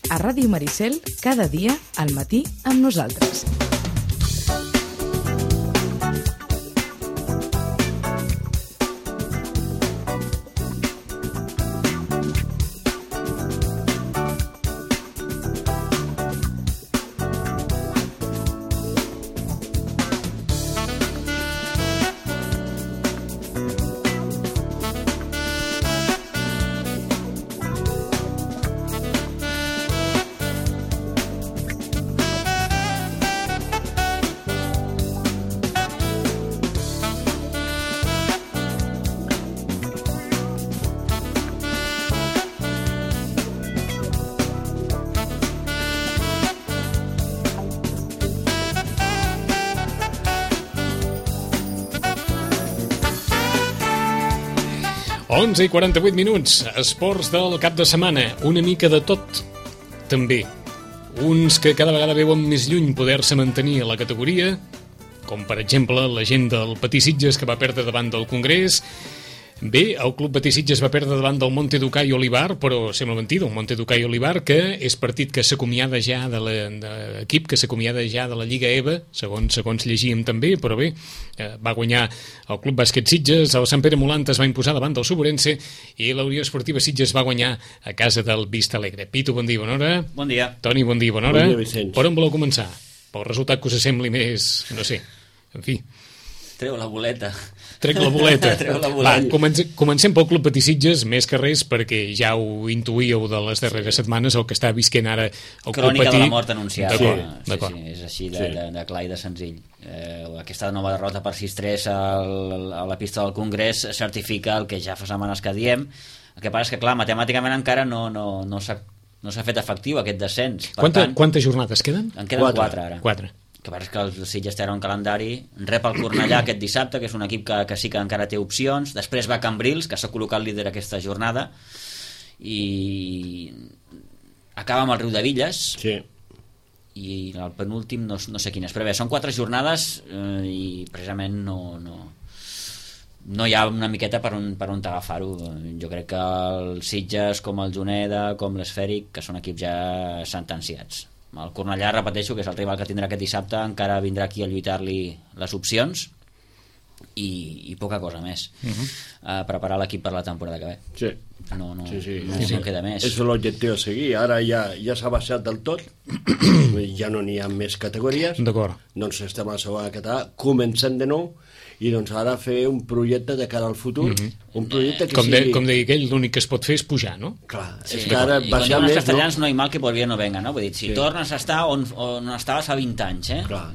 A Ràdio Maricel, cada dia, al matí, amb nosaltres. Onze i 48 minuts, esports del cap de setmana, una mica de tot, també. Uns que cada vegada veuen més lluny poder-se mantenir a la categoria, com per exemple la gent del Patí Sitges que va perdre davant del Congrés. Bé, el Club Patí Sitges va perdre davant del Monte Ducay Olivar, però sembla mentida, un Monte Ducay Olivar que és partit que s'acomiada ja de l'equip, que s'acomiada ja de la Lliga EVA, segons llegíem també, però bé, va guanyar el Club Bàsquet Sitges, el Sant Pere Molanta es va imposar davant del Suburense i la Unió Esportiva Sitges va guanyar a casa del Vista Alegre. Pitu, bon dia, bona hora. Bon dia. Toni, bon dia, bona hora. Bon dia, Vicenç. Per on voleu començar? Pel resultat que us sembli més, no sé, en fi. Treu la boleta. Trec la boleta. Treu la boleta. Va, comencem pel Club Patí Sitges, més que res, perquè ja ho intuïeu de les darreres setmanes, el que està visquent ara el Club Patí. Crònica de la mort anunciada. D'acord. Sí, és així de clar i de senzill. Aquesta nova derrota per 6-3 a la pista del Congrés certifica el que ja fa setmanes que diem. El que passa és que, clar, matemàticament encara no s'ha fet efectiu aquest descens. Quantes jornades queden? En queden 4 ara. 4. Que passa que el Sitges té un calendari, rep el Cornellà aquest dissabte, que és un equip que sí que encara té opcions, després va Cambrils, que s'ha col·locat líder aquesta jornada, i acaba amb el Riu de Villes, sí. I el penúltim no sé quin és, però bé, són 4 jornades i precisament no hi ha una miqueta per on agafar-ho. Jo crec que el Sitges, com el Juneda, com l'Esfèric, que són equips ja sentenciats. El Cornellà, repeteixo, que és el rival que tindrà aquest dissabte, encara vindrà aquí a lluitar-li les opcions i poca cosa més. Preparar l'equip per la temporada que ve. Sí. No queda més. És l'objectiu a seguir. Ara ja s'ha baixat del tot, ja no n'hi ha més categories. D'acord. Doncs estem a la segona català, comencem de nou, i doncs ara fer un projecte de cara al futur, un projecte que com deia aquell, l'únic que es pot fer és pujar, no? Clar, sí, és que ara i quan diuen els castellans no hay mal que por bien no venga, no? Vull dir, si tornes a estar on estaves fa 20 anys, Clar.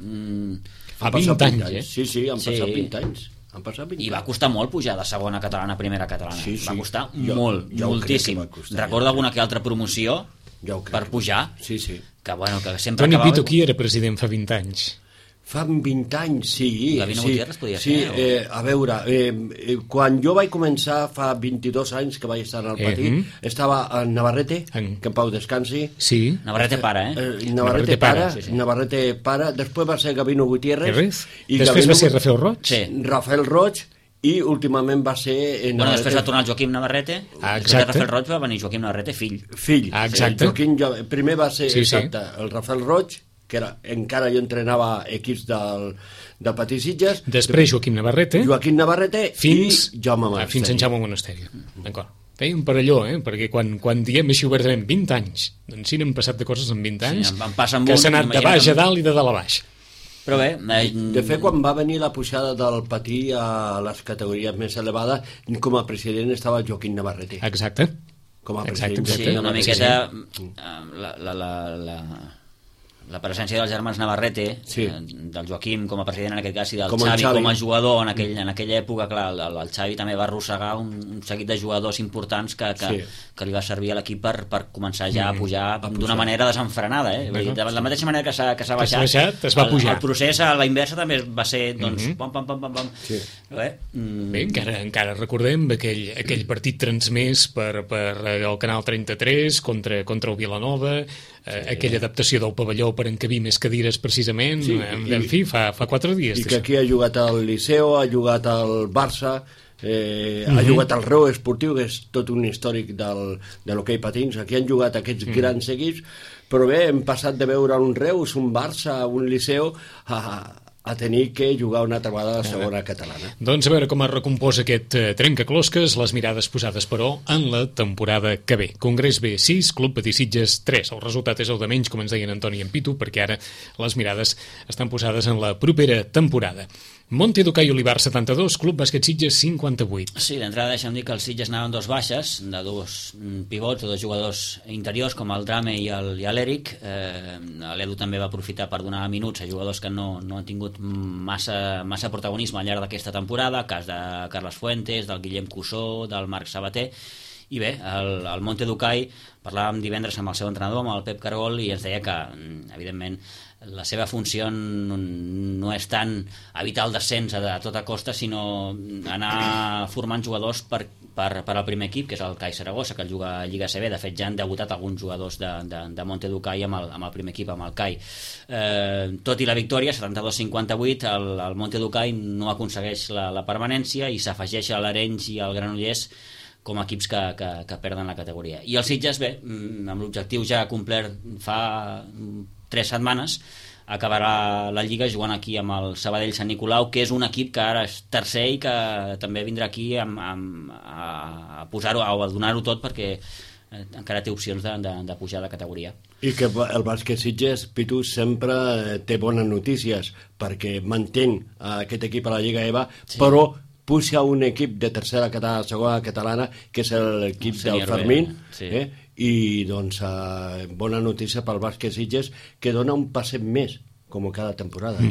Fa 20 anys, Sí, han passat 20 anys. I va costar molt pujar de segona catalana a primera catalana. Sí. Va costar moltíssim. Recorda alguna que altra promoció per pujar? Sí. Que sempre Toni acabava... Pitu, qui era president fa 20 anys? Fa 20 anys, sí. Gavino Gutiérrez podia ser? Sí, a veure, quan jo vaig començar fa 22 anys que vaig estar al Patí, estava en Navarrete, que en pau descansi. Sí. Navarrete pare, Navarrete pare, sí. Navarrete pare, després va ser Gavino Gutiérrez. I després va ser Rafael Roig. Sí. Rafael Roig, i últimament va ser... després va tornar el Joaquim Navarrete, després de Rafael Roig va venir Joaquim Navarrete, fill. Exacte. Primer va ser el Rafael Roig, que encara jo entrenava equips del Patí Sitges. Després Joaquim Navarrete fins Jaume Monasteri. Fins en Jaume Monasteri. D'acord. Feia un parelló, perquè quan diem així obertament 20 anys, doncs sí n'hem passat de coses en 20 anys, que s'ha anat de baix a dalt i de dalt a baix. Però bé... De fet, quan va venir la pujada del Patí a les categories més elevades, com a president estava Joaquim Navarrete. Exacte. Com a president. Sí, una miqueta... La presència dels germans Navarrete, del Joaquim com a president en aquest cas i del Xavi com a jugador en aquella època, clar, el Xavi també va arrossegar un seguit de jugadors importants que li va servir a l'equip per començar ja a pujar d'una manera desenfrenada, de la mateixa manera que s'ha baixat, es va pujar. El procés a la inversa també va ser pam. Bé, encara recordem aquell partit transmès per el Canal 33 contra el Vilanova, aquella adaptació del pavelló per encabir més cadires precisament, en fi, fa 4 dies. I que aquí ha jugat el Liceo, ha jugat el Barça, ha jugat al Reu Esportiu, que és tot un històric de l'hoquei patins. Aquí han jugat aquests grans equips, però bé, hem passat de veure un Reus, un Barça, un Liceu, a tenir que jugar una altra vegada a la segona catalana. Doncs a veure com es recompòs aquest trencaclosques, les mirades posades, però, en la temporada que ve. Congrés B 6, Club Patí Sitges 3. El resultat és el de menys, com ens deien Antoni i en Pitu, perquè ara les mirades estan posades en la propera temporada. Monte d'Okai Olivar 72, Club Bàsquet Sitges 58. Sí, d'entrada deixa'm dir que els Sitges anaven dos baixes, de dos pivots o dos jugadors interiors, com el Drame i l'Eric. L'Edu també va aprofitar per donar minuts a jugadors que no han tingut massa protagonisme al llarg d'aquesta temporada, cas de Carles Fuentes, del Guillem Cussó, del Marc Sabater. I bé, el Monte d'Okai, parlàvem divendres amb el seu entrenador, amb el Pep Cargol, i ens deia que, evidentment, la seva funció no és tant evitar el descens a tota costa, sinó anar formant jugadors per al primer equip, que és el CAI Saragossa, que el juga a Lliga CB. De fet, ja han debutat alguns jugadors de Monte d'Okai amb el primer equip, amb el CAI. Tot i la victòria, 72-58, el Monte d'Okai no aconsegueix la permanència i s'afegeix a l'Arenys i al Granollers com a equips que perden la categoria. I el Sitges, bé, amb l'objectiu ja complert fa 3 setmanes, acabarà la Lliga jugant aquí amb el Sabadell Sant Nicolau, que és un equip que ara és tercer i que també vindrà aquí a posar-ho, a donar-ho tot, perquè encara té opcions de pujar de categoria. I que el bàsquet Sitges, Pitu, sempre té bones notícies, perquè mantén aquest equip a la Lliga EVA, sí, però puja un equip de tercera catalana, segona catalana, que és l'equip del Fermín, sí. I doncs bona notícia pel bàsquet Sitges, que dona un passet més, com cada temporada.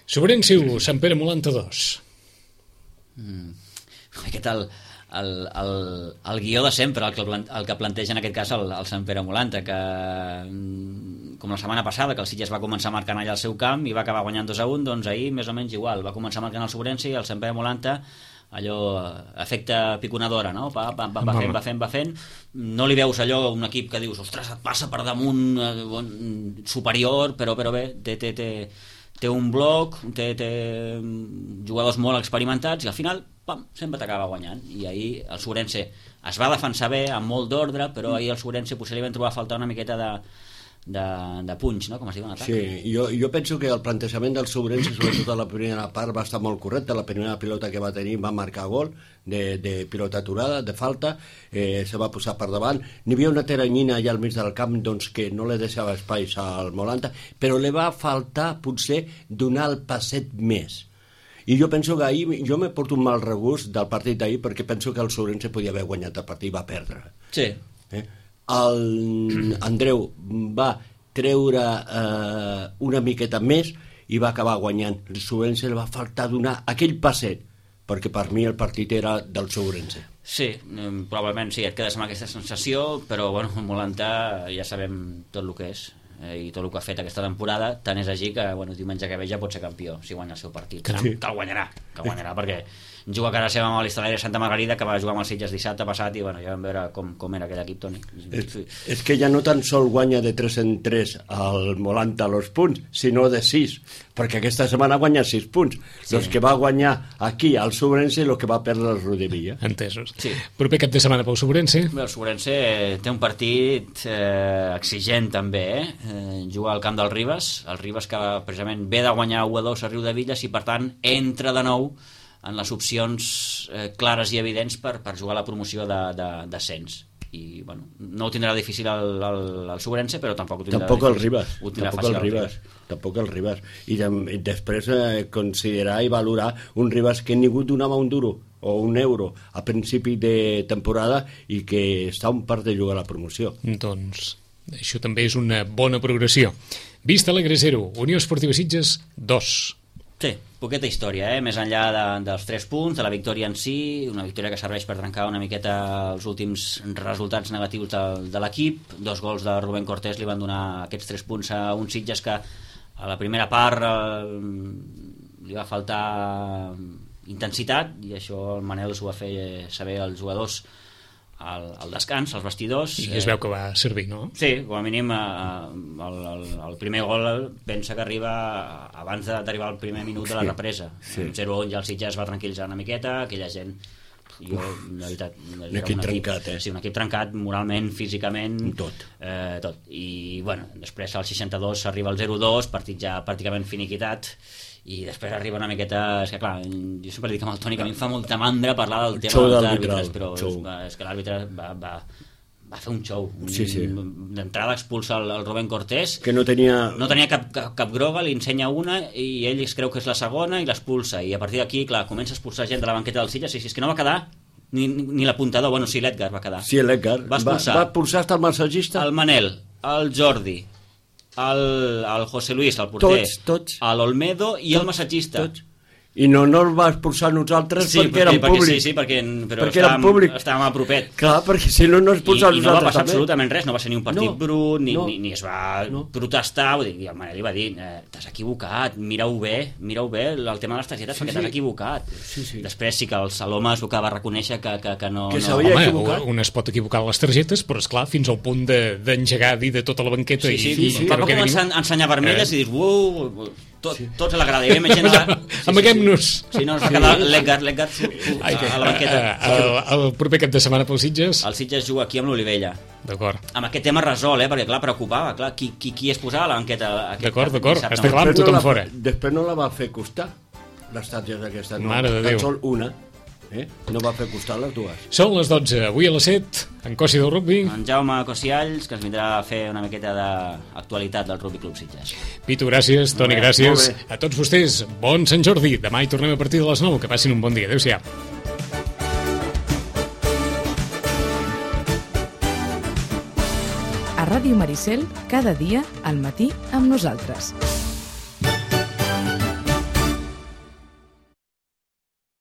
Sobrenciu, Sant Pere Molanta 2. Què tal el guió de sempre, el que planteja en aquest cas el Sant Pere Molanta, que com la setmana passada, que el Sitges va començar marcant allà al seu camp i va acabar guanyant 2-1, doncs ahir més o menys igual, va començar marcant el Sobrense i el Sant Pere Molanta, allò, efecte piconadora, no? Va fent, no li veus allò un equip que dius, ostres, et passa per damunt superior, però bé, té un bloc, té jugadors molt experimentats i al final sempre t'acaba guanyant. I ahir el Sobrense es va defensar bé, amb molt d'ordre, però ahir el Sobrense potser li van trobar a faltar una miqueta de punch, no? Com es diu en atac. Sí, jo penso que el plantejament del Sobrense, sobretot a la primera part, va estar molt correcte. La primera pilota que va tenir va marcar gol de pilota aturada, de falta, se va posar per davant. N'hi havia una teranyina allà al mig del camp, doncs, que no li deixava espais al Molanta, però li va faltar potser donar el passet més. I jo penso que ahir, jo me porto un mal regust del partit d'ahir, perquè penso que el Sobrense podia haver guanyat el partit i va perdre. Sí. El Andreu va treure una miqueta més i va acabar guanyant. El Sobrense li va faltar donar aquell passet, perquè per mi el partit era del Sobrense. Sí, probablement sí, et quedes amb aquesta sensació, però bueno, el Molanta ja sabem tot el que és i tot el que ha fet aquesta temporada, tant és així que diumenge que ve ja pot ser campió si guanya el seu partit. Sí. Que el guanyarà, perquè juga a casa seva amb l'Hostalera Santa Margarida, que va jugar amb els Sitges dissabte passat i ja vam veure com era aquell equip, Toni. És que ja no tan sol guanya de 3 en 3 el Molanta els punts, sinó de 6, perquè aquesta setmana guanya 6 punts. Sí. Els que va guanyar aquí al Sobrense i el que va perdre el Rodevilla. Entesos. Sí. Proper cap de setmana pel Sobrense? El Sobrense té un partit exigent també, juga al camp del Ribes, el Ribes que precisament ve de guanyar 1-2 a Riudevilles i per tant entra de nou en les opcions clares i evidents per jugar a la promoció d'ascens. I no ho tindrà difícil el Sobrense, però tampoc ho tindrà tampoc el Ribes. I després considerar i valorar un Ribes que ningú donava un duro o un euro a principi de temporada i que està a un part de jugar a la promoció. Doncs això també és una bona progressió. Vista Alegre 0, Unió Esportiva Sitges 2. Sí, poqueta història, més enllà dels 3 punts, de la victòria en si, una victòria que serveix per trencar una miqueta els últims resultats negatius de l'equip. 2 gols de Rubén Cortés li van donar aquests 3 punts a un Sitges que a la primera part li va faltar intensitat, i això el Manel s'ho va fer saber als jugadors al descans, als vestidors. I es veu que va servir, no? Sí, com a mínim el primer gol pensa que arriba abans d'arribar al primer minut de la represa. Sí. 0-1 ja el Sitges va tranquil·litzar una miqueta, aquella gent... Jo, la veritat, un equip trencat, Sí, un equip trencat moralment, físicament, tot. Tot. I bueno, després al 62 s'arriba al 0-2, partit ja pràcticament finiquitat, i després arriba una miqueta... És que clar, jo sempre dic amb el Toni que a mi em fa molta mandra parlar del tema dels àrbitres, però és que l'àrbitre va fer un show. Sí. D'entrada expulsa el Rubén Cortés, que no tenia cap groga, li ensenya una i ell es creu que és la segona i l'expulsa, i a partir d'aquí, clar, comença a expulsar gent de la banqueta del Sitges, i si és que no va quedar ni l'apuntador, bueno, sí, l'Edgar va quedar. Sí, l'Edgar va expulsar hasta el massatgista, el Manel, el Jordi, el José Luis, el porter, tots. l'Olmedo i el massatgista. I no el va expulsar nosaltres perquè érem públic. Sí, perquè estàvem a propet. Clar, perquè si no expulsa nosaltres. I no va passar absolutament res, no va ser ni un partit brut, ni es va protestar. I el Manel li va dir, t'has equivocat, mira-ho bé el tema de les targetes, perquè t'has equivocat. Després sí que el Saloma es va reconèixer que no... Que s'havia equivocat. Un es pot equivocar les targetes, però esclar, fins al punt d'engegar a dir de tota la banqueta. Va començar a ensenyar vermelles i dius, tots a la grada. Amaguem-nos. Sí, no, es va quedar l'Edgar a la banqueta. El proper cap de setmana pel Sitges? El Sitges juga aquí amb l'Olivella. D'acord. Amb aquest tema resol, perquè clar, preocupava, qui es posava a la banqueta. D'acord, està clar, amb tothom fora. Després no la va fer costar, les targetes d'aquesta. Mare de Déu. Tan sol una. No va fer costar les dues. Són les 12, avui a les 7, en Cosi del Rugby. En Jaume Cosialls, que ens vindrà a fer una miqueta d'actualitat del Rugby Club Sitges. Pitu, gràcies. Toni, gràcies. A tots vostès, bon Sant Jordi. Demà hi tornem a partir de les 9. Que passin un bon dia. Adéu-siau. A Ràdio Maricel, cada dia, al matí, amb nosaltres.